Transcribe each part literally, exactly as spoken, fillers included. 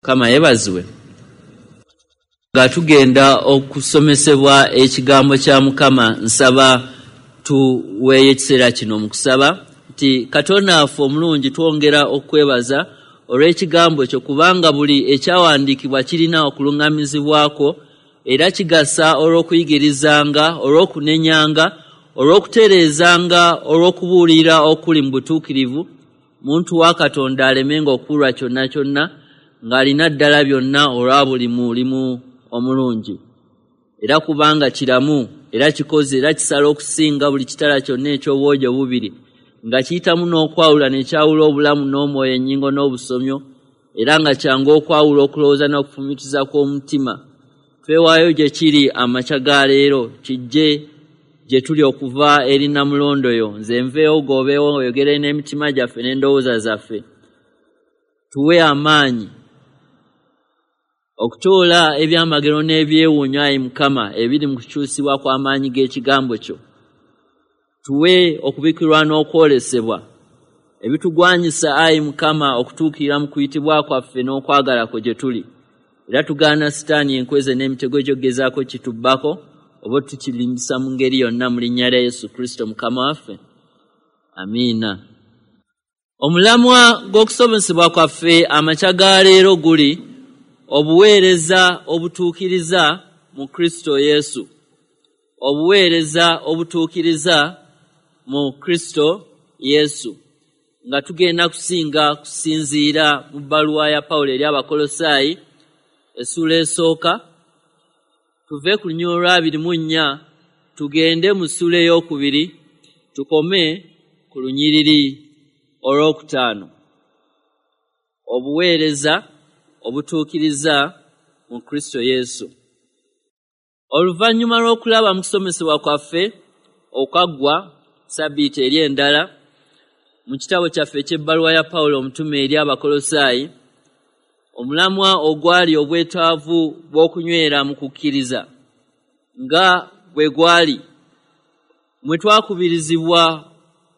Mukama yeebazibwe. Nga tugenda okusomesebwa ekigambo kya Mukama, nsaba tuweeyo ekiseera kino mu kusaba nti Katonda waffe omulungi, twongera okwebaza olw'ekigambo kyo, kubanga buli ekyawandiikibwa kirina okuluŋŋamizibwako era kigasa olw'okuyigirizanga, olw'okunenyanga, olw'okutereezanga, olw'okubuulira okuli mu butuukirivu, muntu wa Katonda alemenga okuwulwa kyonna kyonna, ng'alina ddala byonna olwa buli mulimu omulungi. Era kubanga kiramu era kikoze era kisala okusinga buli kitala kyonna eky'obwogi obubiri, nga kiyitamu n'okwawula ne kyawula obulamu n'omwoyo, ennyingo n'obusomyo, era nga kyangu okwawula okulowooza n'okufumitiza kw'omutima. Twewaayo gye kiri amakya ga leero, kijje gye tuli okuva eri Nnamulondo yo. Nze nveewo goobeewo, oyogere n'emitima gyaffe n'endowooza zaffe. Tuwe amaanyi okutoola ebyamagero n'ebyewuunyo, ayi Mukama, ebiri mu kukyusibwa kw'amaanyi g'ekigambo kyo. Tuwe okubikkulirwa n'okwolesebwa ebitugwanyisa, ayi Mukama, okutuukirira mu kuyitibwa kwaffe n'okwagala kwo gye tuli. Era tugaana Sitaani, enkweze n'emitego gy'ogezaako kitubbako oba tukirimbisa mu ngeri yonna, mu linnya lya Yesu Kristo Mukama waffe, amiina. Omulamwa gw'okusomesebwa kwaffe amakya ga leero guli obuweereza obutuukiriza mu Kristo Yesu. Obuweereza obutuukiriza mu Kristo Yesu, nga tugenda kusinga kusinziira mu bbaluwa ya Pawulo eri Abakolosaayi, essuula esooka, tuve ku lunyiriri olw'abiri mu nnya tugende mu ssuula ey'okubiri, tukome ku lunyiriri olwokutaano. Obuweereza obutuukiriza mu Kristo Yesu. Oluvannyuma lw'okulaba mu kusomesebwa kwaffe okwaggwa sabbiiti eri endala mu kitabo kyaffe eky'ebbaluwa ya Pawulo omutume eri Abakolosaayi, omulamwa ogwali obwetaavu bw'okunywera mu kukkiriza nga bwe gwali, mwe twakubirizibwa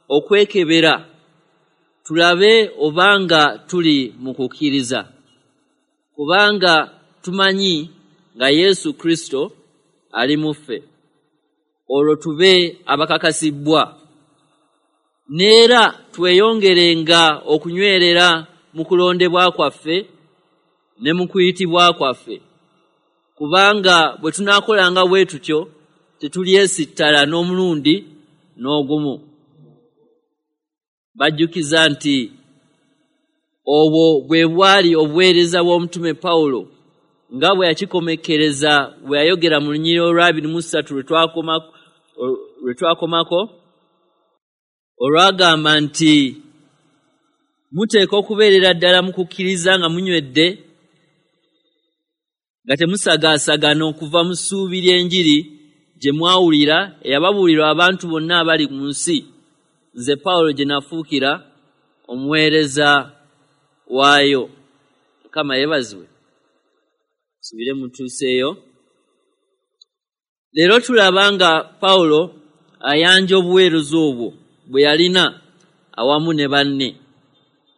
okwekebera tulabe obanga tuli mu kukkiriza, kubanga tumanyi nga Yesu Kristo ali mu ffe, olwo tube abakakasibbwa. Neera tweyongerenga okunywerera mu kulondebwa kwaffe ne mu kuyitibwa kwaffe, kubanga bwe tunaakolanga bwe tutyo tetulyesittala n'omulundi n'ogumu. Bajjukiza nti obwo bwe bwali obuweereza bw'omutume Pawulo nga bwe yakikomekkereza bwe yayogera mu lunyiriri olw'abiri mu ssatu lwe twakomako, olwagamba nti muteeka okubeerera ddala mu kukkiriza nga munywedde, nga temusagaasagana okuva mu ssuubi ly'enjiri gye mwawulira, eyababuulirwa abantu bonna abali mu nsi, nze Pawulo gye nafuukira omuweereza waayo. Mukama yeebazibwe. Subire mutuuseeyo. Leero tulaba nga Pawulo ayanja obuweereza obwo bwe yalina awamu ne banne,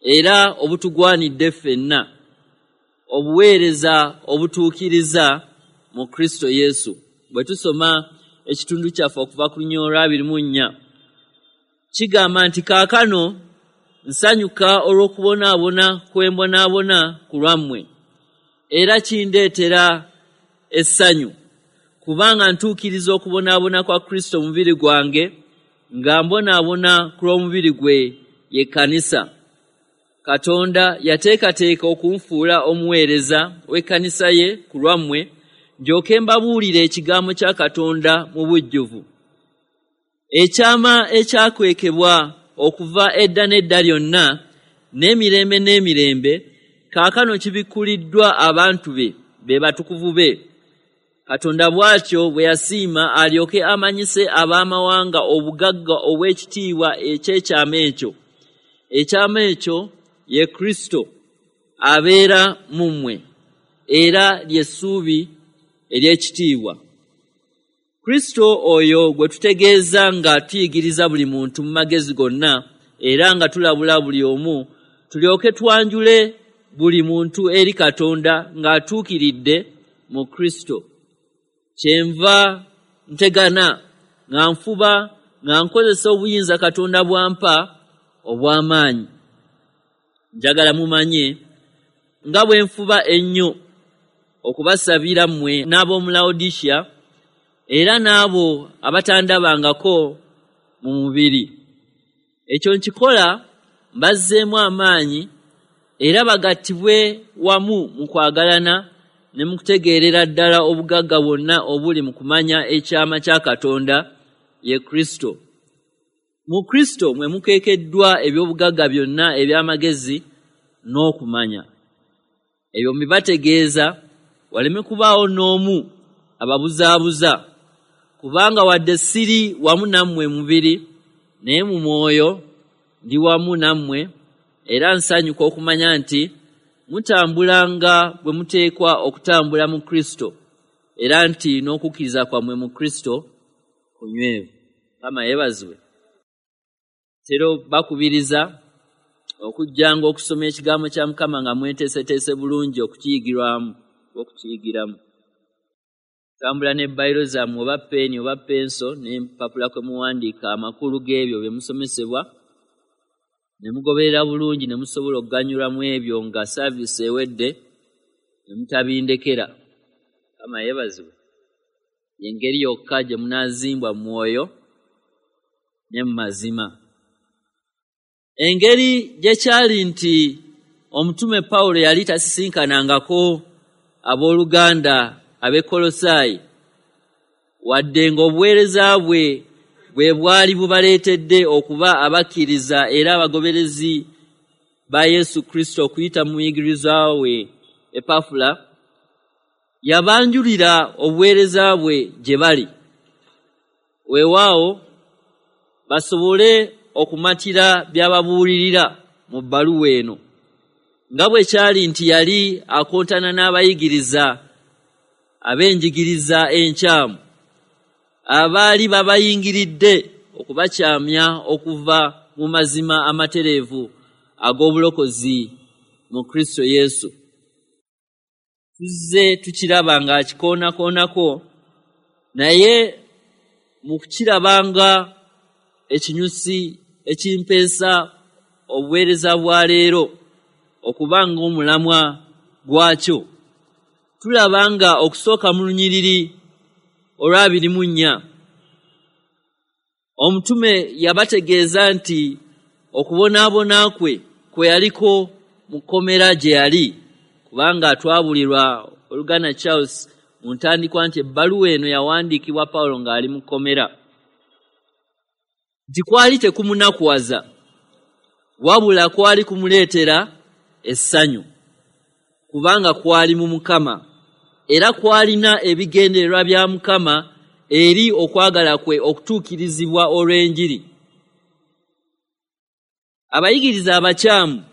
era obutugwanidde ffenna, obuweereza obutuukiriza mu Kristo Yesu. Bwe tusoma ekitundu kyaffe okuva ku lunyiriri olw'abiri mu nnya, kigamba nti kaakano nsanyuka olw'okubonaabona kw'embonaabona ku lwammwe, era kindeetera essanyu, kubanga ntuukiriza okubonaabona kwa Kristo mu mubiri gwange, nga mbonaabona ku lw'omubiri gwe ye kkanisa. Katonda yateekateeka okunfuula omuweereza w'ekkanisa ye ku lwammwe, ndyoke mbabuulire ekigambo kya Katonda mu bujjuvu, ekyama ekyakwekebwa okuva edda n'edda lyonna n'emirembe n'emirembe, kaakano kibikkuliddwa abantu be, be batukuvu be. Katonda bw'atyo bwe yasiima alyoke amanyise ab'amawanga obugagga obw'ekitiibwa eky'ekyama ekyo. Ekyama ekyo ye Kristo abeera mu mmwe, era ly'essuubi ery'ekitiibwa. Kristo oyo gwe tutegeeza nga tuyigiriza buli muntu mu magezi gonna, era nga tulabula buli omu, tulyoke twanjule buli muntu eri Katonda ng'atuukiridde mu Kristo. Kyenva ntegana nga nfuba nga nkozesa obuyinza Katonda bw'ampa obw'amaanyi. Njagala mumanye nga bwe nfuba ennyo okubasabira mmwe n'ab'omu Laodicea era n'abo abatandabangako mu mubiri. Ekyo nkikola mbazzeemu amaanyi era bagattibwe wamu mu kwagalana ne mu kutegeerera ddala obugagga bwonna obuli mu kumanya ekyama kya Katonda ye Kristo. Mu Kristo mwe mukeekeddwa eby'obugagga byonna eby'amagezi n'okumanya. Ebyo mbibategeeza waleme kubaawo n'omu ababuzaabuza, kubanga wadde siri wamu nammwe mubiri, naye mu mwoyo ndi wamu nammwe, era nsanyuka okumanya nti mutambulanga bwe muteekwa okutambula mu Kristo, era nti n'okukkiriza kwammwe mu Kristo kunywevu. Mukama yeebazibwe. Tero bakubiriza okujjanga okusoma ekigambo kya Mukama nga mweteeseteese bulungi okukiyigirwamu okukiyigiramu. Tambula ne bayiro zammwe oba peeni oba penso n'empapula kwe muwandiika amakulu g'ebyo bye musomesebwa, ne mugoberera bulungi ne musobola okuganyulwa mu ebyo nga saaviisi ewedde ne mutabindekera. Mukama yeebazibwe. Y'engeri yokka gye munaazimbwa mu mwoyo ne mu mazima. Engeri gye kyali nti omutume Pawulo yali tasisinkanangako abooluganda ab'e Kolosaayi, wadde ng'obuweereza bwe bwe bwali bubaleetedde okuba abakkiriza era abagoberezi ba Yesu Kristo okuyita mu muyigiriza we Epafula, yabanjulira obuweereza bwe gye bali, weewaawo basobole okumatira by'ababuulirira mu bbaluwa eno, nga bwe kyali nti yali akontana n'abayigiriza ab'enjigiriza enkyamu abaali babayingiridde okubakyamya okuva mu mazima amatereevu ag'obulokozi mu Kristo Yesu. Tuzze tukiraba ng'akikoonakoonako, naye mu kukiraba nga ekinyusi ekimpeesa obuweereza bwa leero okuba ng'omulamwa gwakyo, tulaba nga okusooka mu lunyiriri olw'abiri mu nnya omutume yabategeeza nti okubonaabona kwe kwe yaliko mu kkomera gye yali, kubanga twabulirwa oluganda Charles mu ntandikwa nti ebbaluwa eno yawandiikibwa Pawulo ng'ali mu kkomera, nti kwali tekumunakuwaza wabula kwali kumuleetera essanyu, kubanga kwali mu Mukama era kwalina ebigendererwa bya Mukama eri okwagala kwe okutuukirizibwa olw'enjiri. Abayigiriza abakyamu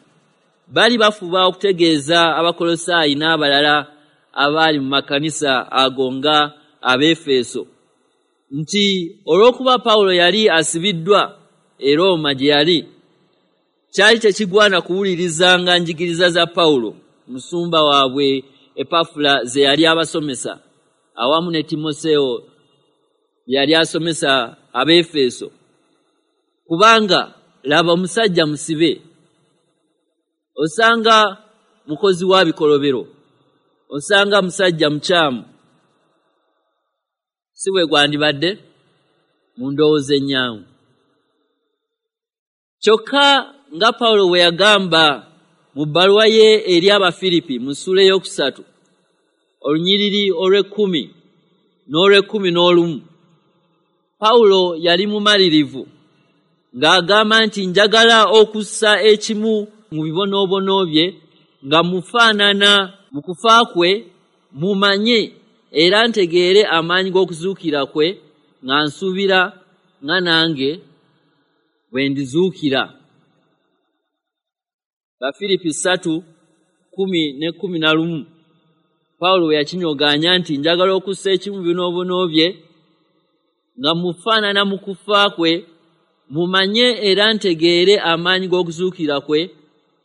bali bafuba okutegeeza Abakolosaayi n'abalala abaali mu makanisa ago nga Abeefeso nti olw'okuba Pawulo yali asibiddwa e Rooma gye yali, kyali tekigwana kuwulirizanga njigiriza za Pawulo musumba waabwe Epafula ze yali abasomesa awamu ne Timoseewo yali asomesa Abeefeso, kubanga laba omusajja musibe, osanga mukozi wa bikolobero, osanga musajja mukyamu. Si bwe gwandibadde mu ndowooza ennyangu. Kyokka nga Pawulo bwe yagamba mu bbaluwa ye eri Abafiripi mu ssuula ey'okusatu olunyiriri olw'ekkumi n'olw'ekkumi n'olumu, Pawulo yali mumalirivu ng'agamba nti njagala okussa ekimu mu bibonoobono bye nga mufaanana mu kufa kwe, mumanye era ntegeere amaanyi g'okuzuukira kwe, nga nsuubira nga nange bwe ndizuukira. Bafiripi ssatu kkumi ne kkumi na lumu Pawulo bwe yakinyogaanya nti njagala okussa ekimu bibonoobono bye nga mufaanana mu kufa kwe, mumanye era ntegeere amaanyi g'okuzuukira kwe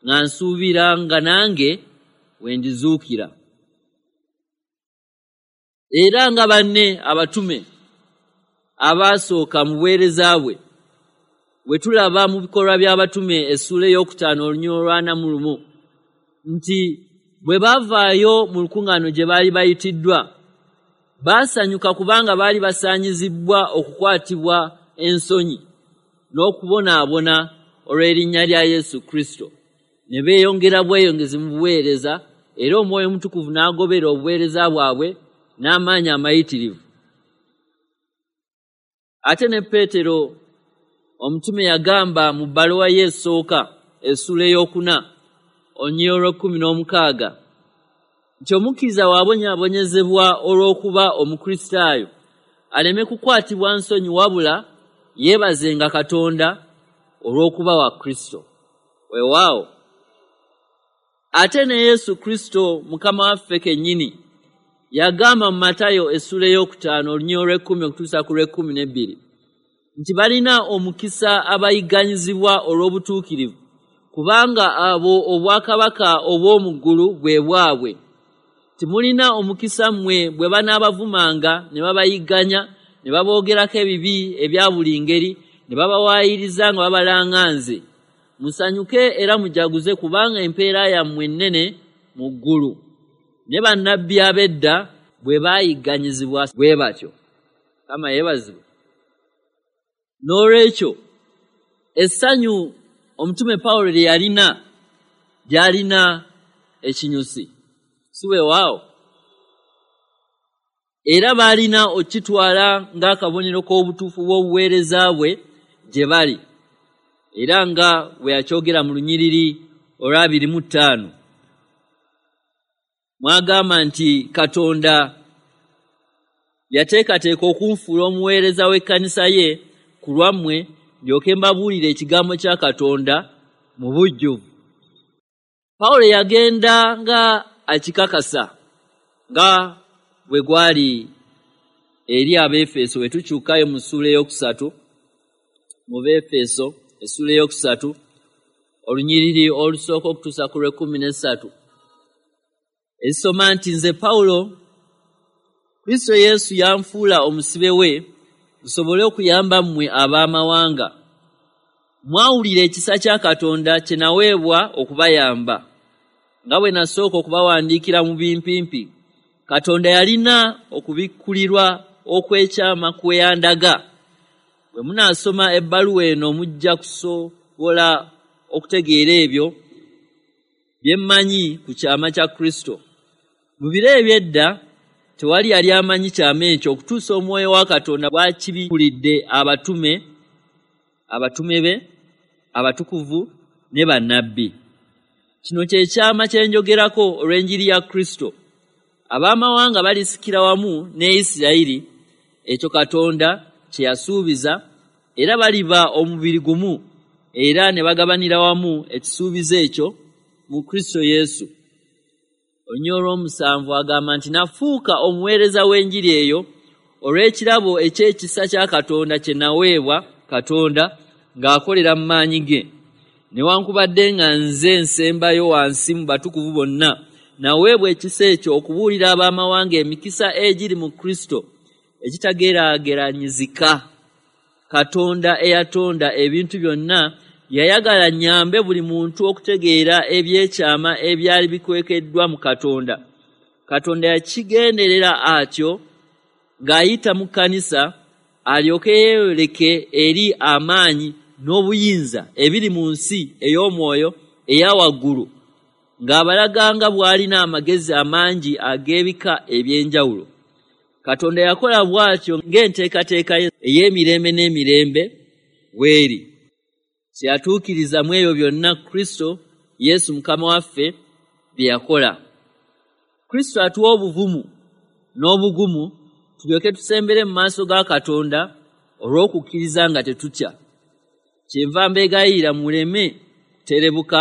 nga nsuubira nga nange we ndizuukira. Era nga banne abatume abaasooka mu buweereza bwe, bwe tulaba mu bikolwa by'abatume essuula ey'okutaano olunyiriri olw'ana mu lumu nti bwe baavaayo mu lukuŋŋaano gye baali bayitiddwa, baasanyuka kubanga baali basaanyizibbwa okukwatibwa ensonyi n'okubonaabona olw'erinnya lya Yesu Kristo. Ne beeyongera bweyongezi mu buweereza, era Omwoyo Omutukuvu n'agobera obuweereza bwabwe n'amaanyi amayitirivu. Ate ne Peetero omutume yagamba mu bbaluwa ye esooka essuula ey'okuna olunyiriri olw'ekkumi n'omukaaga nti omukkiriza bw'abonyaabonyezebwa olw'okuba Omukristaayo aleme kukwatibwa nsonyi, wabula yeebazenga Katonda olw'okuba wa Kristo. Weewaawo ate ne Yesu Kristo Mukama waffe kennyini yagamba mu Matayo essuula ey'okutaano olunyiriri olw'ekkumi okutuusa ku lw'ekkumi n'ebbiri nti balina omukisa abayigganyizibwa olw'obutuukirivu, kubanga abo obwakabaka obw'omu ggulu bwe bwabwe. Timulina omukisa mmwe bwe banaabavumanga ne babayigganya ne baboogerako ebibi ebya buli ngeri ne babawaayiriza nga babalanga nze. Musanyuke era mujaguze, kubanga empeera yammwe ennene mu ggulu. Ne bannabbi ab'edda bwe baayigganyizibwa bwe batyo. Mukama yeebazibwe. N'olwekyo essanyu omutume Pawulo lye yalina lyalina ekinyusi, si weewaawo? Era baalina okukitwala ng'akabonero k'obutuufu bw'obuweereza bwe gye bali, era nga bwe yakyogera mu lunyiriri olw'abiri mu ttaano mwagamba nti Katonda yateekateeka okunfuula omuweereza w'ekkanisa ye ku lwammwe, ndyoke mbabuulire ekigambo kya Katonda mu bujjuvu. Pawulo yagenda nga akikakasa nga bwe gwali eri Abeefeso. Bwe tukyukayo mu ssuula ey'okusatu mu Beefeso essuula ey'okusatu olunyiriri olusooka okutuusa ku lw'ekkumi n'essatu esoma nti nze Pawulo, Kristo Yesu yanfuula omusibe we nsobole okuyamba mmwe ab'amawanga. Mwawulira ekisa kya Katonda kye naweebwa okubayamba, nga bwe nasooka okubawandiikira mu bimpimpi. Katonda yalina okubikkulirwa okw'ekyama kwe yandaga. Bwe munaasoma ebbaluwa eno mujja kusobola okutegeera ebyo bye mmanyi ku kyama kya Kristo. Mu biro eby'edda tewali yali amanyi kyama ekyo okutuusa Omwoyo wa Katonda bw'akibikkulidde abatume abatume be, abatukuvu ne bannabbi. Kino kye kyama kye njogerako olw'enjiri ya Kristo. Ab'amawanga balisikira wamu ne Isirayiri ekyo Katonda kye yasuubiza, era baliba omubiri gumu era ne bagabanira wamu ekisuubizo ekyo mu Kristo Yesu. Olunyiriri olw'omusanvu agamba nti nafuuka omuweereza w'enjiri eyo olw'ekirabo eky'ekisa kya Katonda kye naweebwa Katonda ng'akolera mu maanyi ge. Newankubadde nga nze nsembayo wansi mu batukuvu bonna, naweebwa ekisa ekyo okubuulira ab'amawanga emikisa egiri mu Kristo egitageraageranyizika. Katonda eyatonda ebintu byonna yayagala nnyambe buli muntu okutegeera ebyekyama ebyali bikwekeddwa mu Katonda. Katonda yakigenderera atyo ng'ayita mu kkanisa alyoke yeeyoleke eri amaanyi n'obuyinza ebiri mu nsi ey'omwoyo eya waggulu, ng'abalaga nga bw'alina amagezi amangi ag'ebika eby'enjawulo. Katonda yakola bw'atyo ng'enteekateeka ye ey'emirembe n'emirembe bw'eri. Kye yatuukiriza mu ebyo byonna Kristo Yesu Mukama waffe bye yakola. Kristo atuwa obuvumu n'obugumu tulyoke tusembere mu maaso ga Katonda olw'okukkiriza nga tetutya. Kyenva mbeegayirira muleme kuterebuka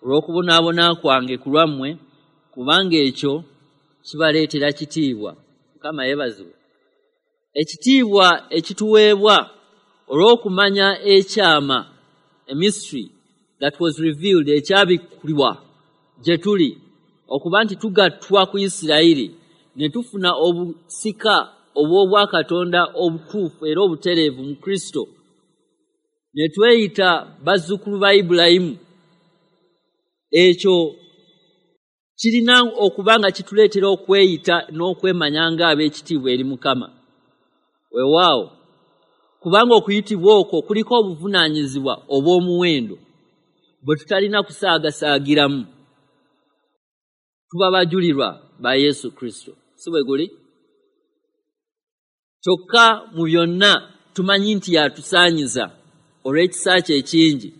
olw'okubonaabona kwange ku lwammwe, kubanga ekyo kibaleetera kitiibwa. Mukama yeebazibwe. Ekitiibwa ekituweebwa olw'okumanya ekyama, a mystery That was revealed, ekyabikkulwa gye tuli okuba nti tugattwa ku Isirayiri ne tufuna obusika obw'obwakatonda obutuufu era obutereevu mu Kristo, ne tweyita bazzukulu ba Ibulayimu. Ekyo kirina okuba nga kituleetera okweyita n'okwemanya ng'ab'ekitiibwa eri Mukama. Weewaawo, kubanga okuyitibwa okwo kuliko obuvunaanyizibwa obw'omuwendo bwe tutalina kusaagasaagiramu. Tuba bajulirwa ba Yesu Kristo, si bwe guli? Kyokka mu byonna tumanyi nti yatusaanyiza olw'ekisa kye ekingi.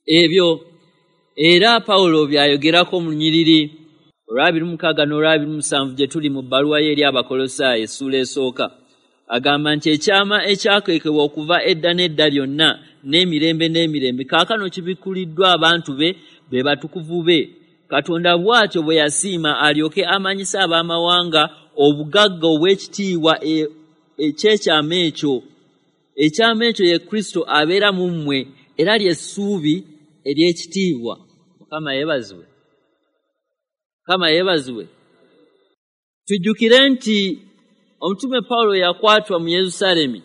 Ebyo era Pawulo by'ayogerako mu lunyiriri olw'abiri mu mukaaga n'olw'abiri mu musanvu gye tuli mu bbaluwa ye eri Abakolosaayo essuula esooka. Agamba nti ekyama ekyakwekebwa okuva edda n'edda lyonna n'emirembe n'emirembe kaakano kibikkuliddwa abantu be, be batukuvu be. Katonda bw'atyo bwe yasiima alyoke amanyise ab'amawanga obugagga obw'ekitiibwa eky'ekyama ekyo. Ekyama ekyo ye Kristo abeera mu mmwe, era ly'essuubi ery'ekitiibwa. Mukama yeebazibwe. Mukama yeebazibwe. Tujjukire nti omutume Pawulo yakwatwa mu Yerusaalemi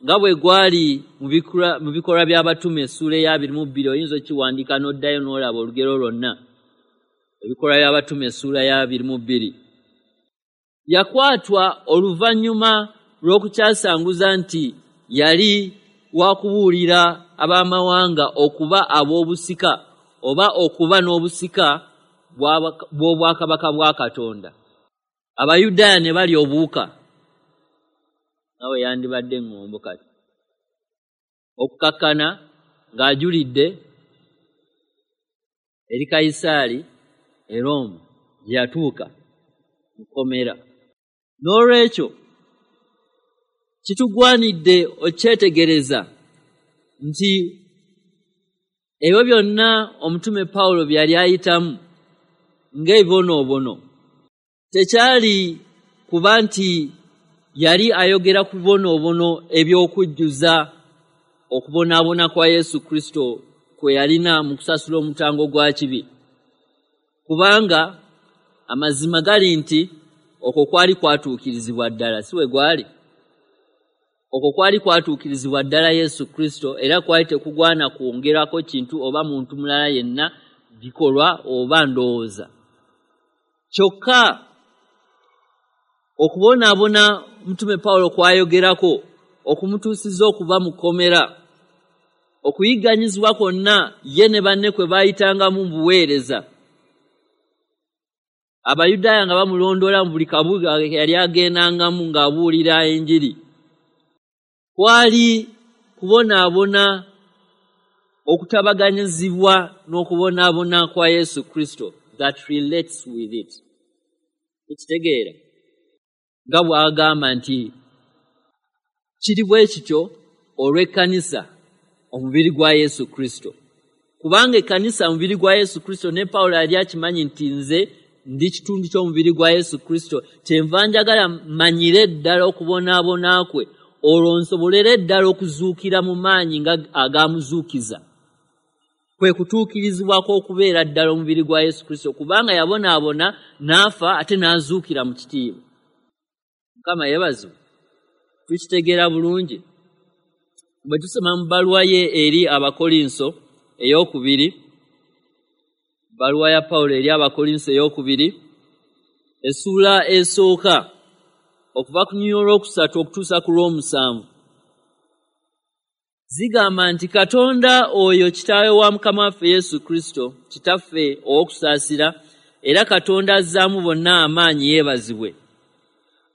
nga bwe gwali mu bikolwa by'abatume essuula ey'abiri mu bbiri. Oyinza okiwandiika n'oddayo n'olaba olugero lwonna. Ebikolwa by'abatume essuula y'abiri mu bbiri. Yakwatwa oluvannyuma lw'okukyasanguza nti yali wakubuulira ab'amawanga okuba ab'obusika oba okuba n'obusika bw'obwakabaka bwa Katonda. Abayudaaya ne balya obuwuka, nawe yandibadde eŋŋombo kati, okukakkana ng'ajulidde eri Kayisaali e Rooma gye yatuuka mu kkomera. N'olwekyo kitugwanidde okyetegereza nti ebyo byonna omutume Pawulo bye yali ayitamu ng'ebibonoobono tekyali kuba nti yali ayogera ku bibonoobono eby'okujjuza okubonaabona kwa Yesu Kristo kwe yalina mu kusasula omutango gwa kibi, kubanga amazima gali nti okwo kwali kwatuukirizibwa ddala, si bwe gwali? Okwo kwali kwatuukirizibwa ddala Yesu Kristo, era kwali tekugwana kwongerako kintu oba muntu mulala yenna, bikolwa oba ndowooza. Kyokka okubonaabona omutume Pawulo kwayogerako okumutuusiza okuba mu kkomera, okuyigganyizibwa kwonna ye ne banne kwe baayitangamu mu buweereza, Abayudaaya nga bamulondoola mu buli kabuga yali agendangamu ng'abuulira enjiri, kwali kubonaabona okutabaganyizibwa n'okubonaabona kwa Yesu Kristo that relates with it. Ekitegeera nga bw'agamba nti kiri bwe kityo olw'ekkanisa, omubiri gwa Yesu Kristo, kubanga ekkanisa omubiri gwa Yesu Kristo. Ne Pawulo yali akimanyi nti nze ndi kitundu ky'omubiri gwa Yesu Kristo, kyenva njagala mmanyire ddala okubonaabona kwe, olwo nsobolere ddala okuzuukira mu maanyi nga agamuzuukiza. Kwe kutuukirizibwako okubeera ddala omubiri gwa Yesu Kristo, kubanga yabonaabona n'afa ate n'azuukira mu kitiibwa. Mukama yeebazibwe. Tukitegeera bulungi bwe tusoma mu bbaluwa ye eri Abakolinso ey'okubiri, bbaluwa ya Pawulo eri Abakolinso ey'okubiri essuula esooka okuva ku lunyiriri olwokusatu okutuusa ku lw'omusanvu, zigamba nti Katonda oyo kitaawe wa Mukama waffe Yesu Kristo, kitaffe ow'okusaasira, era Katonda azzaamu bonna amaanyi yeebazibwe.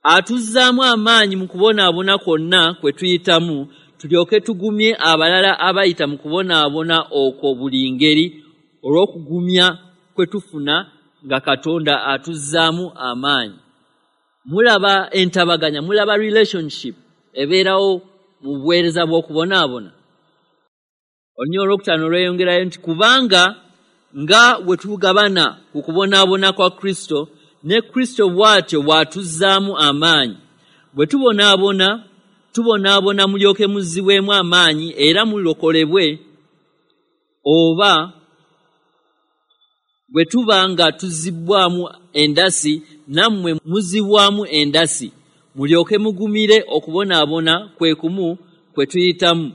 Atuzzaamu amaanyi mu kubonaabona kwonna kwe tuyitamu, tulyoke tugumye abalala abayita mu kubonaabona okwo buli ngeri, olw'okugumya kwe tufuna nga Katonda atuzzaamu amaanyi. Mulaba entabaganya, mulaba relationship ebeerawo mu buweereza bw'okubonaabona. Olunyiriri olwokutaano lweyongerayo nti kubanga nga bwe tugabana ku kubonaabona kwa Kristo, ne Kristo bw'atyo bw'atuzzaamu amaanyi. Bwe tubonaabona, tubonaabona mulyoke muzzibwemu amaanyi era mulokolebwe. Oba bwe tuba nga tuzibbwamu endasi, nammwe muzibwamu endasi, mulyoke mugumire okubonaabona kwe kumu kwe tuyitamu.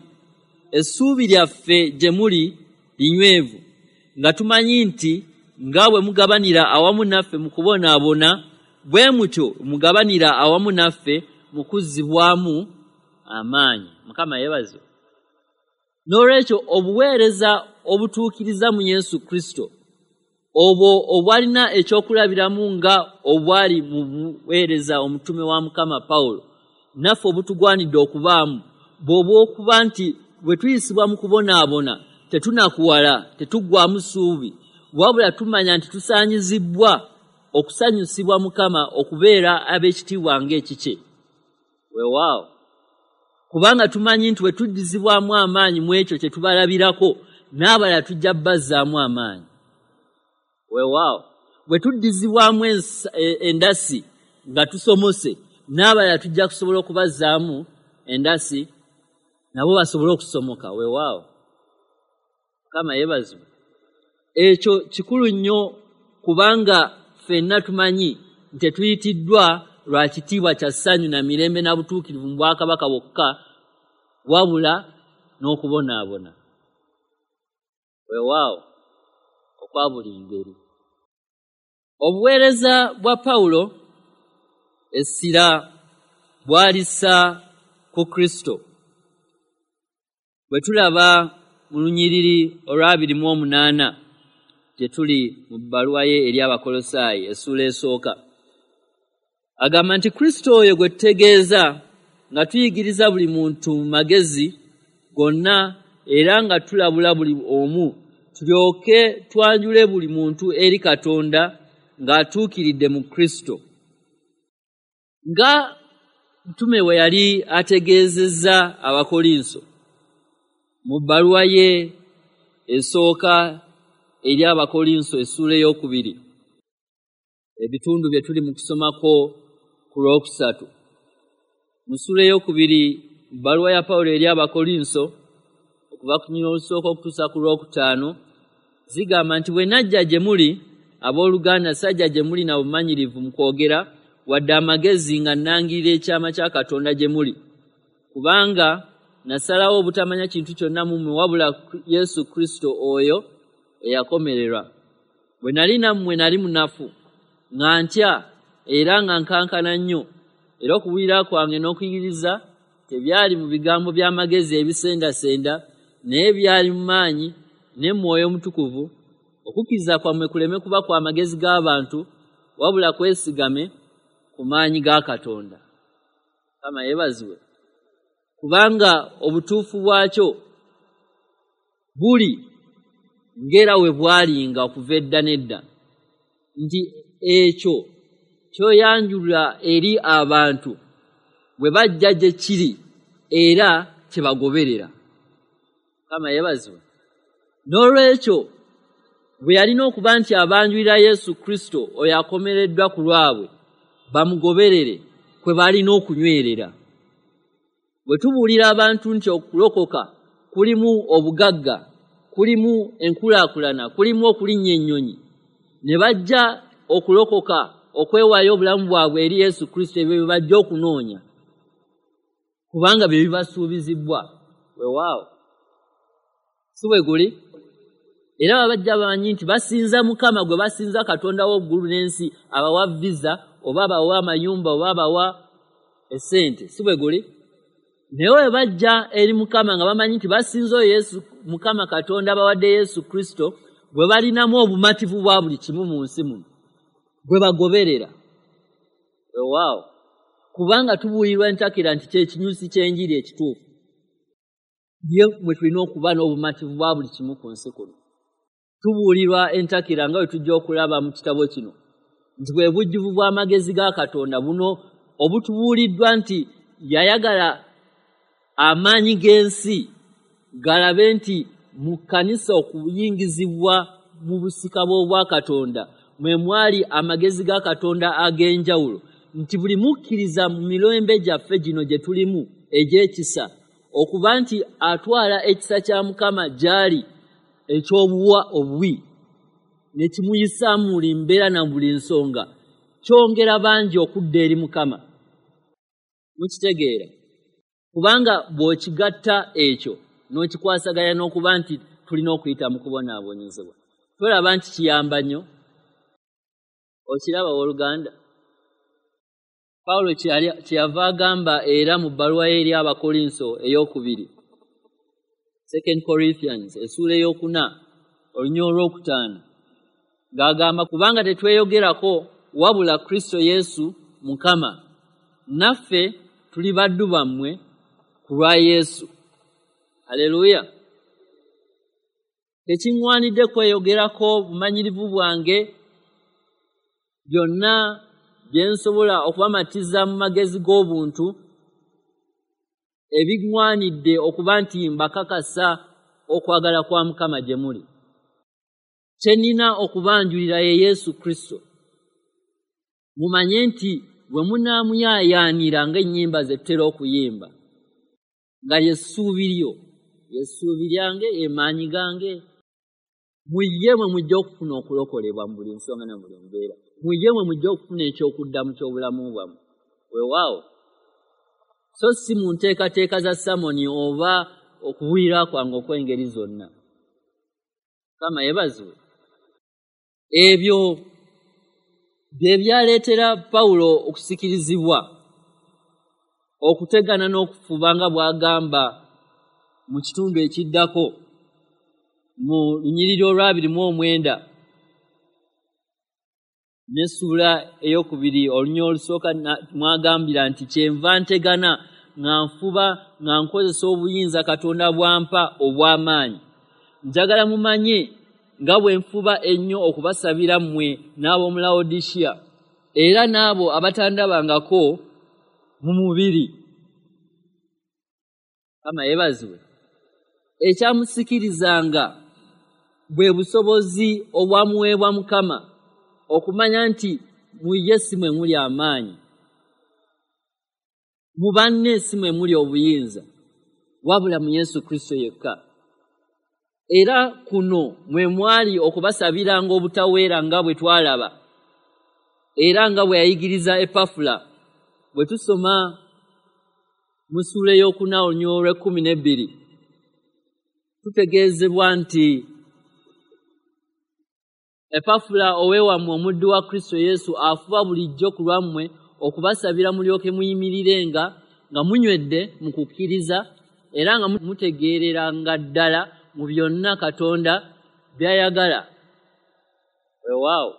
Essuubi lyaffe gye muli linywevu, nga tumanyi nti nga bwe mugabanira awamu naffe mu kubonaabona, bwe mutyo mugabanira awamu naffe mu kuzzibwamu amaanyi. Mukama yeebazibwe. N'olwekyo obuweereza obutuukiriza mu Yesu Kristo, obwo obwalina ekyokulabiramu nga obwali mu buweereza omutume wa Mukama Pawulo, naffe obutugwanidde okubaamu, bw'obwokuba nti bwe tuyisibwa mu kubonaabona tetunakuwala, tetuggwamu ssuubi, wabula tumanya nti tusaanyizibbwa okusanyusibwa Mukama okubeera ab'ekitiibwa ng'ekikye. Weewaawo, kubanga tumanyi nti bwe tuddizibwamu amaanyi mu ekyo kye tubalabirako, n'abalala tujja bazzaamu amaanyi. Weewaawo, bwe tuddizibwamu endasi nga tusomose, n'abalala tujja kusobola okubazzaamu endasi nabo basobole okusomoka. Weewaawo, Mukama yeebazibwe. Ekyo kikulu nnyo, kubanga ffenna tumanyi nti tetuyitiddwa lwa kitiibwa kya ssanyu na mirembe na butuukirivu mu bwakabaka bwokka, wabula n'okubonaabona. Weewaawo, okwa buli ngeri. Obuweereza bwa Pawulo essira bwalissa ku Kristo. Bwe tulaba mu lunyiriri olw'abiri mu omunaana gye tuli mu bbaluwa ye eri Abakolosaayi essuula esooka, agamba nti Kristo oyo gwe tutegeeza nga tuyigiriza buli muntu mu magezi gonna era nga tulabula buli omu, tulyoke twanjule buli muntu eri Katonda ng'atuukiridde mu Kristo. Nga mutume we yali ategeezezza Abakolinso mu bbaluwa ye esooka eri Abakolinso essuula ey'okubiri, ebitundu bye tuli mu kusomako ku lwokusatu. Mu ssuula ey'okubiri, bbaluwa ya Pawulo eri Abakolinso okuva ku lunyiriri olusooka okutuusa ku lwokutaano, zigamba nti bwe najja gye muli abooluganda, sajja gye muli na bumanyirivu mu kwogera wadde amagezi nga nnangirira ekyama kya Katonda gye muli, kubanga nasalawo obutamanya kintu kyonna mu mmwe wabula Yesu Kristo oyo eyakomererwa. Bwe nali nammwe nali munafu, nga ntya era nga nkankana nnyo, era okubuulira kwange n'okuyigiriza tebyali mu bigambo by'amagezi ebisendasenda, naye byali mu maanyi ne Mwoyo Mutukuvu, okukkiriza kwammwe kuleme kuba kwa magezi g'abantu, wabula kwesigame ku maanyi ga Katonda. Mukama yeebazibwe. Kubanga obutuufu bwakyo buli ng'era we bwalinga okuva edda n'edda, nti ekyo ky'oyanjula eri abantu bwe bajja gye kiri era kye bagoberera. Mukama yeebazibwe. N'olwekyo bwe yalina okuba nti abanjulira Yesu Kristo oyo akomereddwa ku lwabwe, bamugoberere kwe balina okunywerera. Bwe tubuulira abantu nti okulokoka kulimu obugagga, kulimu enkulaakulana, kulimu okulinnya ennyonyi, ne bajja okulokoka okwewaayo obulamu bwabwe eri Yesu Kristo, ebyo bye bajja okunoonya, kubanga bye bibasuubizibwa. Weewaawo, si bwe guli? Era babajja bamanyi nti basinza Mukama gwe basinza Katonda w'oggulu n'ensi, abawa visa oba abawa amayumba oba abawa essente, si bwe guli? Naye bwe bajja eri Mukama nga bamanyi nti basinza oyo Yesu Mukama Katonda abawadde Yesu Kristo, bwe balinamu obumativu bwa buli kimu mu nsi muno, bwe bagoberera. Weewaawo, kubanga tubuulirwa entakera nti kye kinyusi ky'enjiri ekituufu, ye mwe tulina okuba n'obumativu bwa buli kimu ku nsi kuno. Tubuulirwa entakera nga bwe tujja okulaba mu kitabo kino nti bwe bujjuvu bw'amagezi ga Katonda buno obutubuuliddwa nti yayagala amaanyi g'ensi galabe nti mu kkanisa okuyingizibwa mu busika bw'obwakatonda mwe mwali amagezi ga Katonda ag'enjawulo, nti buli mukkiriza mu mirembe gyaffe gino gye tulimu egy'ekisa, okuba nti atwala ekisa kya Mukama gy'ali eky'obuwa obuwi ne kimuyisaamu buli mbeera na buli nsonga, kyongera bangi okudda eri Mukama. Mukitegeera? Kubanga bw'okigatta ekyo n'okikwasaganya n'okuba nti tulina okuyita mu kubonaabonyezebwa, tolaba nti kiyamba nnyo? Okiraba owooluganda? Pawulo kyeyava agamba era mu bbaluwa ye eri Abakolinso ey'okubiri, Second Corinthians essuula ey'okuna olunyiriri olwokutaano, ng'agamba kubanga tetweyogerako wabula Kristo Yesu Mukama, naffe tuli baddu bammwe ku lwa Yesu. Haleluya! Tekiŋŋwanidde kweyogerako bumanyirivu bwange byonna bye nsobola okubamatiza mu magezi g'obuntu, ebiŋŋwanidde okuba nti mbakakasa okwagala kwa Mukama gye muli. Kye nnina okubanjulira ye Yesu Kristo. Mumanye nti bwe munaamuyaayaanira ng'ennyimba ze tutera okuyimba, nga ly'essuubi lyo, ly'essuubi lyange, emaanyi gange, mu ye mwe mujja okufuna okulokolebwa mu buli nsonga na buli mbeera. Mu ye mwe mujja okufuna eky'okuddamu ky'obulamu bwammwe. Weewaawo, so si mu nteekateeka za samoni oba okuwulira kwange okw'engeri zonna. Mukama yeebazibwe. Ebyo bye byaleetera Pawulo okusikirizibwa okutegana n'okufuba nga bw'agamba mu kitundu ekiddako mu lunyiriri olw'abiri mu omwenda n'essuula ey'okubiri olunyiriri olusooka mwagambira nti kyenva ntegana nga nfuba nga nkozesa obuyinza Katonda bw'ampa obw'amaanyi. Njagala mumanye nga bwe nfuba ennyo okubasabira mmwe n'ab'omu Lawodikiya era n'abo abatandabangako mu mubiri. Mukama yeebazibwe. Ekyamusikirizanga bwe busobozi obwamuweebwa Mukama okumanya nti mu ye si mwe muli amaanyi, mu banne si mwe muli obuyinza, wabula mu Yesu Kristo yekka. Era kuno mwe mwali okubasabiranga obutaweera nga bwe twalaba, era nga bwe yayigiriza Epafula. Bwe tusoma mu ssuula ey'okuna olunyiriri olw'ekkumi n'ebbiri, tutegeezebwa nti Epafula oweewammwe omuddu wa Kristo Yesu afuba bulijjo ku lwammwe okubasabira mulyoke muyimirirenga nga munywedde mu kukkiriza era nga mutegeereranga ddala mu byonna Katonda by'ayagala. Weewaawo.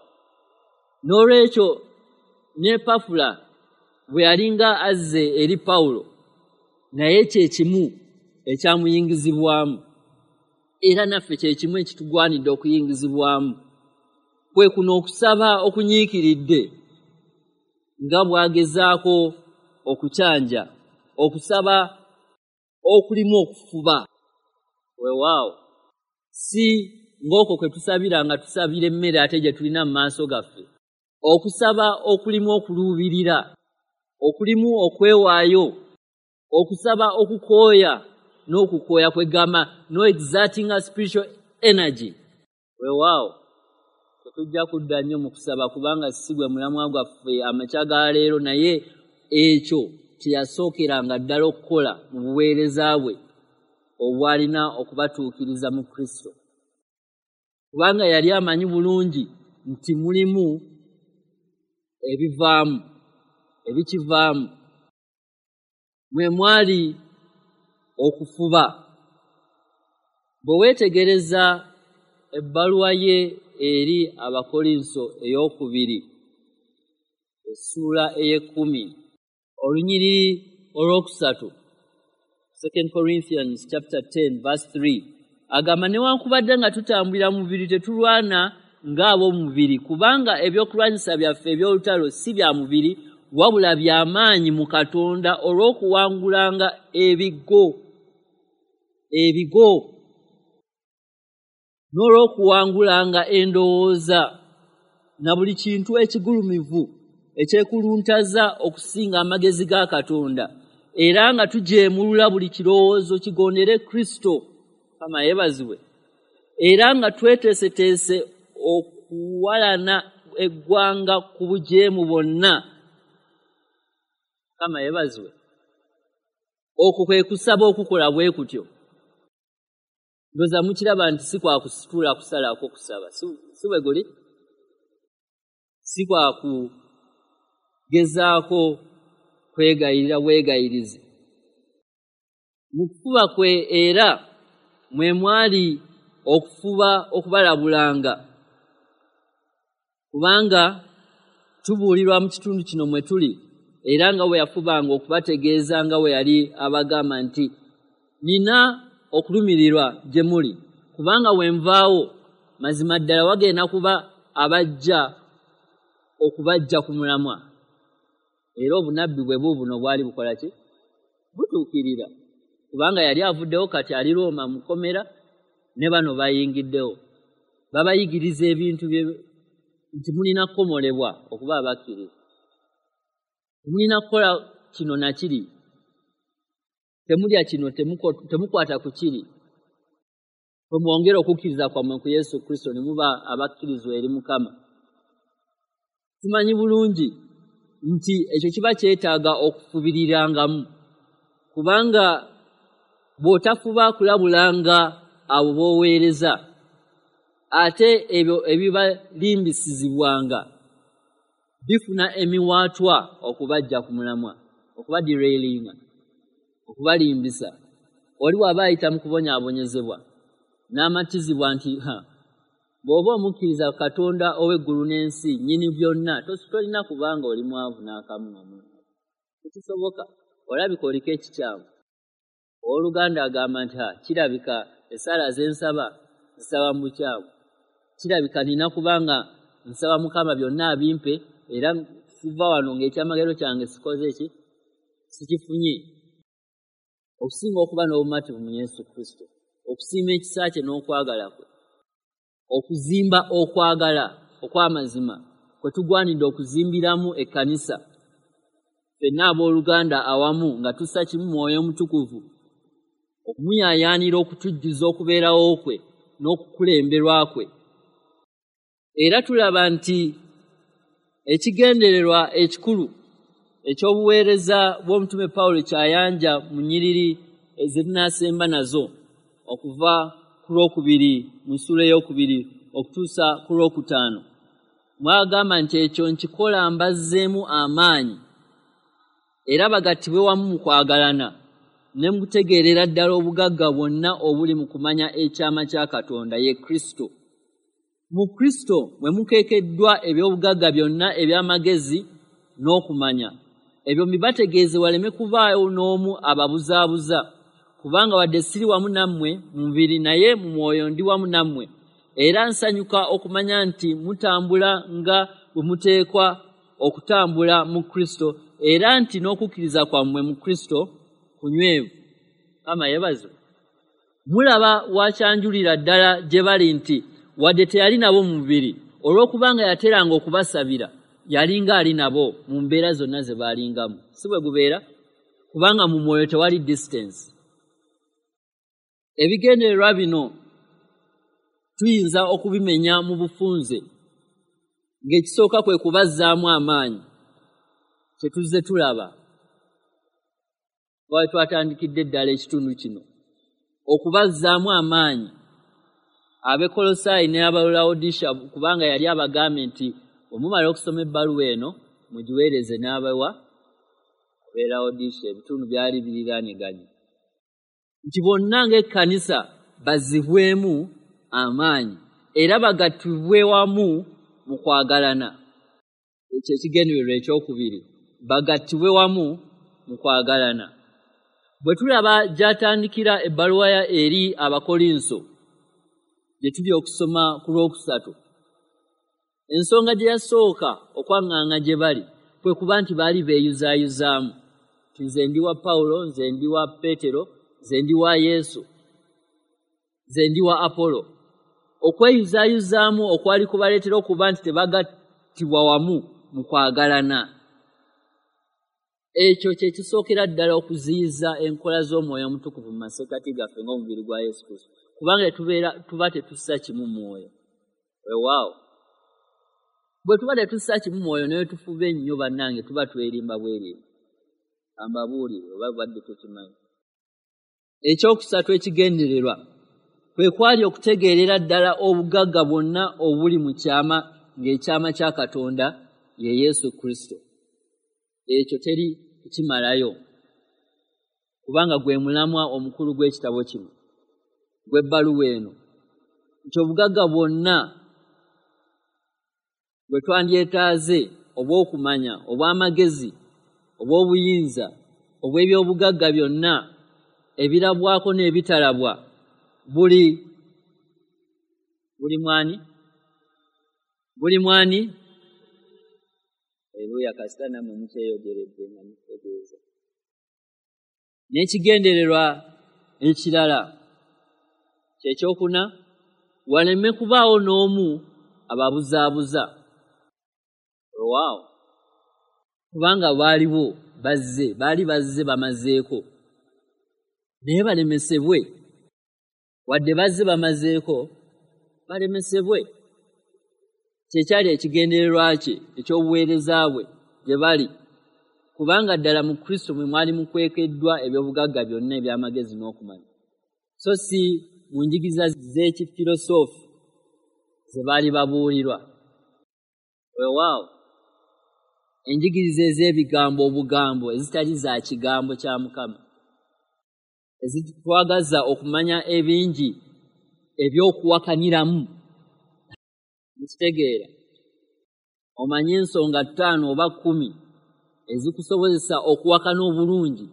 N'olwekyo ne Epafula bwe yalinga azze eri Pawulo, naye kye kimu ekyamuyingizibwamu, era naffe kye kimu ekitugwanidde okuyingizibwamu, kwe kuno okusaba okunyiikiridde nga bw'agezaako okukyanja, okusaba okulimu okufuba. Weewaawo, si ng'okwo kwe tusabira nga tusabira emmere ate gye tulina mu maaso gaffe. Okusaba okulimu okuluubirira, okulimu okwewaayo, okusaba okukooya n'okukooya kwegamba no exerting a spiritual energy. Weewaawo, tetujja kudda nnyo mu kusaba kubanga si gwe mulamwa gwaffe amakya ga leero, naye ekyo kye yasookeranga ddala okukola mu buweereza bwe obwalina okubatuukiriza mu Kristo, kubanga yali amanyi bulungi nti mulimu ebivaamu, ebikivaamu. Mwe mwali okufuba. Bwe weetegereza ebbaluwa ye eri Abakolinso ey'okubiri essuula ey'ekkumi olunyiriri olwokusatu, Second Corinthians chapter ten verse three, agamba newankubadde nga tutambulira mu mubiri tetulwana ng'ab'omubiri, kubanga ebyokulwanyisa byaffe eby'olutalo si bya mubiri wabula by'amaanyi mu Katonda olw'okuwangulanga ebigo ebigo n'olw'okuwangulanga endowooza na buli kintu ekigulumivu ekyekuluntaza okusinga amagezi ga Katonda, era nga tujeemulula buli kirowoozo kigondere Kristo. Mukama yeebazibwe. Era nga tweteeseteese okuwalana eggwanga ku bujeemu bwonna. Mukama yeebazibwe. Okwo kwe kusaba okukola bwe kutyo. Ndowooza mukiraba nti si kwa kusitula kusalako kusaba, si bwe guli? Si kwa kugezaako kwegayirira bwegayirizi. Mu kufuba kwe era mwe mwali okufuba okubalabulanga, kubanga tubuulirwa mu kitundu kino mwe tuli, era nga bwe yafubanga okubategeeza nga bwe yali abagamba nti nina okulumirirwa gye muli, kubanga bwe nvaawo mazima ddala wagenda kuba abajja okubajja ku mulamwa. Era obunnabbi bwe buubuno bwali bukola ki? Butuukirira, kubanga yali avuddewo kati ali Rooma mukomera, ne bano bayingiddewo babayigiriza ebintu nti mulina kukomolebwa okuba abakkiriza, mulina kukola kino na kiri, temulya kino, temukwata ku kiri, bwe mwongera okukkiriza kwammwe ku Yesu Kristo ne muba abakkirizwa eri Mukama. Tumanyi bulungi nti ekyo kiba kyetaaga okufubirirangamu, kubanga bw'otafuba kulabulanga abo b'oweereza, ate ebyo ebibalimbisizibwanga bifuna emiwaatwa okubajja ku mulamwa, okubaderailinga, okubalimbisa. Oli bw'aba ayita mu kubonyaabonyezebwa n'amatizibwa nti ha, bw'oba omukkiriza Katonda ow'eggulu n'ensi nnyini byonna, tolina kubanga oli mwavu n'akamu namu, tekisoboka, olabika oliko ekikyamu. Owooluganda agamba nti ha, kirabika essaala ze nsaba nsaba mu bukyamu, kirabika nina kubanga nsaba Mukama byonna abimpe, era siva wano ng'ekyamagero kyange sikoze ki, sikifunye. Okusinga okuba n'obumativu mu Yesu Kristo, okusiima ekisa kye n'okwagala kwe, okuzimba okwagala okw'amazima kwe tugwanidde okuzimbiramu ekkanisa ffenna abooluganda awamu nga tussa kimu Mwoyo Omutukuvu, okumuyaayaanira okutujjuza okubeerawo kwe n'okukulemberwa kwe. Era tulaba nti ekigendererwa ekikulu eky'obuweereza bw'omutume Pawulo kyayanja mu nnyiriri ezinaasemba nazo okuva ku lwokubiri mu ssuula ey'okubiri okutuusa ku lwokutaano, mwagamba nti ekyo nkikola mbazzeemu amaanyi era bagattibwe wamu mu kwagalana ne mu kutegeerera ddala obugagga bwonna obuli mu kumanya ekyama kya Katonda ye Kristo. Mu Kristo mwe mukeekeddwa eby'obugagga byonna eby'amagezi n'okumanya. Ebyo mbibategeeze waleme kubaawo n'omu ababuzaabuza, kubanga wadde siri wamu nammwe mu mubiri, naye mu mwoyo ndi wamu nammwe. Era nsanyuka okumanya nti mutambula nga bwe muteekwa okutambula mu Kristo, era nti n'okukkiriza kwammwe mu Kristo kunywevu. Mukama yeebazibwe. Mulaba wakyanjulira ddala gye bali nti wadde teyali nabo mu mubiri, olw'okubanga yateranga okubasabira, yalinga ali nabo mu mbeera zonna ze baalingamu. Si bwe gubeera? Kubanga mu mwoyo tewali distance. Ebigendererwa bino tuyinza okubimenya mu bufunze, ng'ekisooka kwe kubazzaamu amaanyi, kye tuzze tulaba twali twatandikidde ddala ekitundu kino, okubazzaamu amaanyi Abekolosaayi ne Abalawodisiya, kubanga yali abagambye nti bwe mumala okusoma ebbaluwa eno mugiweereze n'abawa Abalawodisiya, ebitundu byali biriraaniganye, nti bonna ng'ekkanisa bazzibwemu amaanyi era bagattibwe wamu mu kwagalana. Ekyo ekigendererwa ekyokubiri, bagattibwe wamu mu kwagalana. Bwe tulaba gy'atandikira ebbaluwa ya eri Abakolinso gye tuli okusoma ku lwokusatu, ensonga gye yasooka okwaŋŋanga gye bali kwe kuba nti baali beeyuzaayuzaamu nti nze ndi wa Pawulo, nze ndi wa Peetero, nze ndi wa Yesu, nze ndi wa Apolo. Okweyuzaayuzaamu okwali kubaleetera okuba nti tebagattibwa wamu mu kwagalana. Ekyo kye kisookera ddala okuziyiza enkola z'Omwoyo Omutukuvu mu masekkati gaffe ng'omubiri gwa Yesu Kristo, Kubanga tubeera tuba tetussa kimu mwoyo. Weewaawo. Bwe tuba tetussa kimu mwoyo naye tufuba ennyo bannange, tuba twerimba bwerimba. Ambabuulire oba badde tokimanyi. Ekyokusatu ekigendererwa kwe kwali okutegeerera ddala obugagga bwonna obuli mu kyama, ng'ekyama kya Katonda ye Yesu Kristo. Ekyo teri kukimalayo, kubanga gwe mulamwa omukulu gw'ekitabo kino, gw'ebbaluwa eno, nti obugagga bwonna bwe twandyetaaze obw'okumanya, obw'amagezi, obw'obuyinza, obw'ebyobugagga byonna ebirabwako n'ebitalabwa buli buli mwani buli mwani Aleluya. Kasita nammwe mukyeyogeredde nga mutegeeza. N'ekigendererwa ekirala kyekyokuna, waleme kubaawo n'omu ababuzaabuza. Weewaawo, kubanga baaliwo bazze, baali bazze bamazeeko, naye balemesebwe. Wadde bazze bamazeeko, balemesebwe. Kyekyali ekigendererwa kye eky'obuweereza bwe gye bali, kubanga ddala mu Kristo mwe mwali mukwekeddwa ebyobugagga byonna eby'amagezi n'okumanya, so si mu njigiriza z'ekifirosoofi ze baali babuulirwa. Weewaawo, enjigiriza ez'ebigambo obugambo ezitali za kigambo kya Mukama, ezitwagaza okumanya ebingi eby'okuwakaniramu. Mukitegeera? Omanye ensonga ttaano oba kkumi ezikusobozesa okuwakana obulungi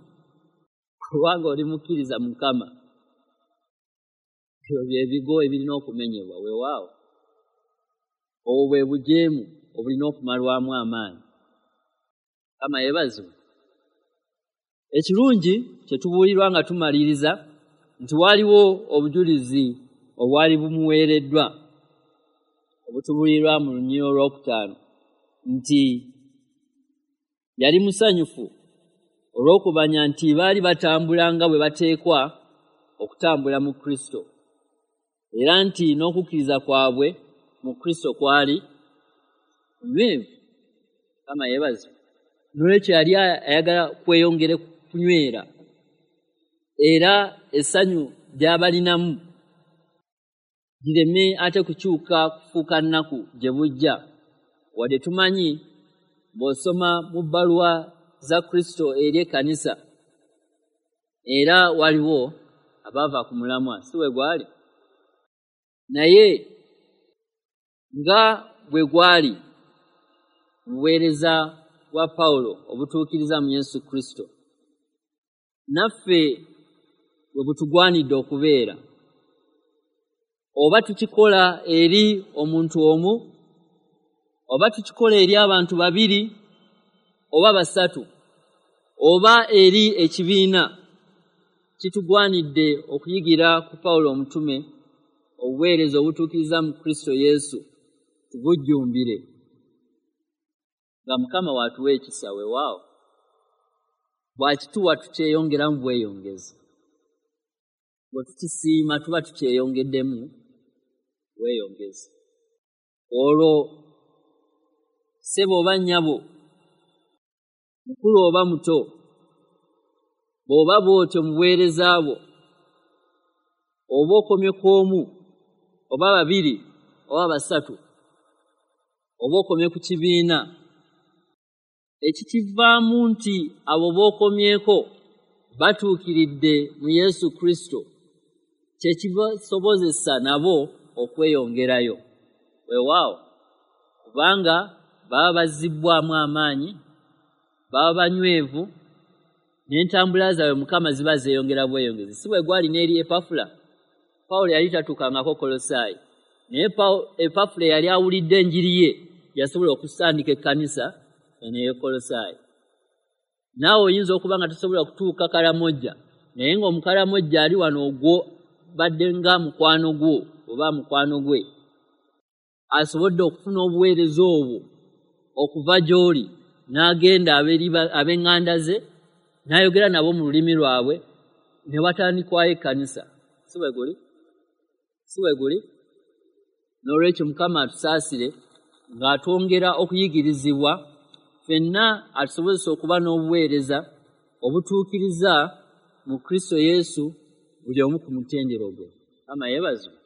kubanga oli mukkiriza Mukama. Ebyo bye bigo ebirina okumenyebwa. Weewaawo, obwo bwe bujeemu obulina okumalwamu amaanyi. Mukama yeebazibwe. Ekirungi kye tubuulirwa nga tumaliriza nti waliwo obujulizi obwali bumuweereddwa obutubuulirwa mu lunyiriri olwokutaano nti yali musanyufu olw'okumanya nti baali batambula nga bwe bateekwa okutambula mu Kristo, era nti n'okukkiriza kwabwe mu Kristo kwali kunywevu. Mukama yeebazibwe. N'olwekyo yali ayagala kweyongere kunywera, era essanyu ly'abalinamu lireme ate kukyuka kufuuka nnaku gye bujja. Wadde tumanyi bw'osoma mu bbaluwa za Kristo eri ekkanisa, era waliwo abaava ku mulamwa, si bwe gwali? Naye nga bwe gwali mu buweereza bwa Pawulo obutuukiriza mu Yesu Kristo, naffe bwe butugwanidde okubeera. Oba tukikola eri omuntu omu, oba tukikola eri abantu babiri oba basatu, oba eri ekibiina, kitugwanidde okuyigira ku Pawulo omutume obuweereza obutuukiriza mu Kristo Yesu tubujjumbire, nga Mukama w'atuwa ekisa. Weewaawo, bw'akituwa tukyeyongeramu bweyongezi, bwe tukisiima tuba tukyeyongeddemu bweyongezi. Olwo ssebo oba nnyabo, mukulu oba muto, bw'oba bw'otyo mu buweereza bwo, oba okomye ku omu oba babiri oba basatu, oba okomye ku kibiina, ekikivaamu nti abo b'okomyeko batuukiridde mu Yesu Kristo, kye kibasobozesa nabo okweyongerayo. Weewaawo, kubanga baba bazzibbwamu amaanyi, baba banywevu, n'entambula zaabwe Mukama ziba zeeyongera bweyongezi. Si bwe gwali n'eri Epafula? Pawulo yali tatuukangako Kolosaayi, naye Epafula yali awulidde enjiri ye, yasobola okusandika ekkanisa eno ey'e Kolosaayi. Naawe oyinza okuba nga tosobola kutuuka Kalamojja, naye ng'omukalamojja ali wano ogwo badde nga mukwano gwo oba mukwano gwe, asobodde okufuna obuweereza obwo okuva gy'oli, n'agenda ab'eŋŋanda ze n'ayogera nabo mu lulimi lwabwe, ne watandikwayo ekkanisa. Si bwe guli? Si we guli? N'olwekyo Mukama atusaasire ng'atwongera okuyigirizibwa ffenna, atusobozesa okuba n'obuweereza obutuukiriza mu Kristo Yesu buli omu ku mutendero gwe. Mukama yeebazibwe.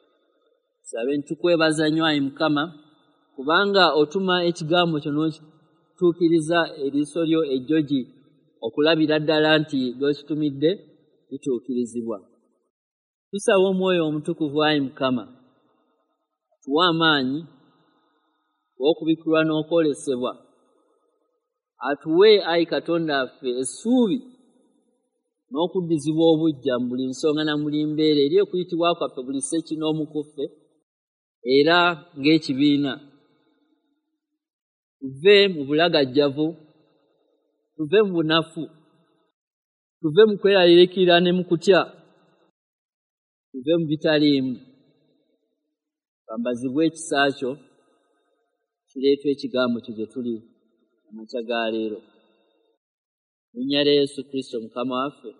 Sabe ntukwebaza nnyo ayi Mukama, kubanga otuma ekigambo kyo n'okituukiriza eriiso lyo ejjogi okulabira ddala nti by'okitumidde bituukirizibwa. Tusaba Omwoyo Omutukuvu ayi Mukama atuwe amaanyi okubikkulwa n'okwolesebwa, atuwe ayi Katonda waffe essuubi n'okuddizibwa obuggya mu buli nsonga na buli mbeera eri okuyitibwa kwaffe buli ssekinnoomu ku ffe era ng'ekibiina. Tuve mu bulagajjavu, tuve mu bunafu, tuve mu kweraliikirira ne mu kutya, tuve mu bitaliimu, twambazibwe ekisa kyo kireetwa ekigambo kyo gye tuli amakya ga leero. Mu linnya lya Yesu Kristo Mukama waffe.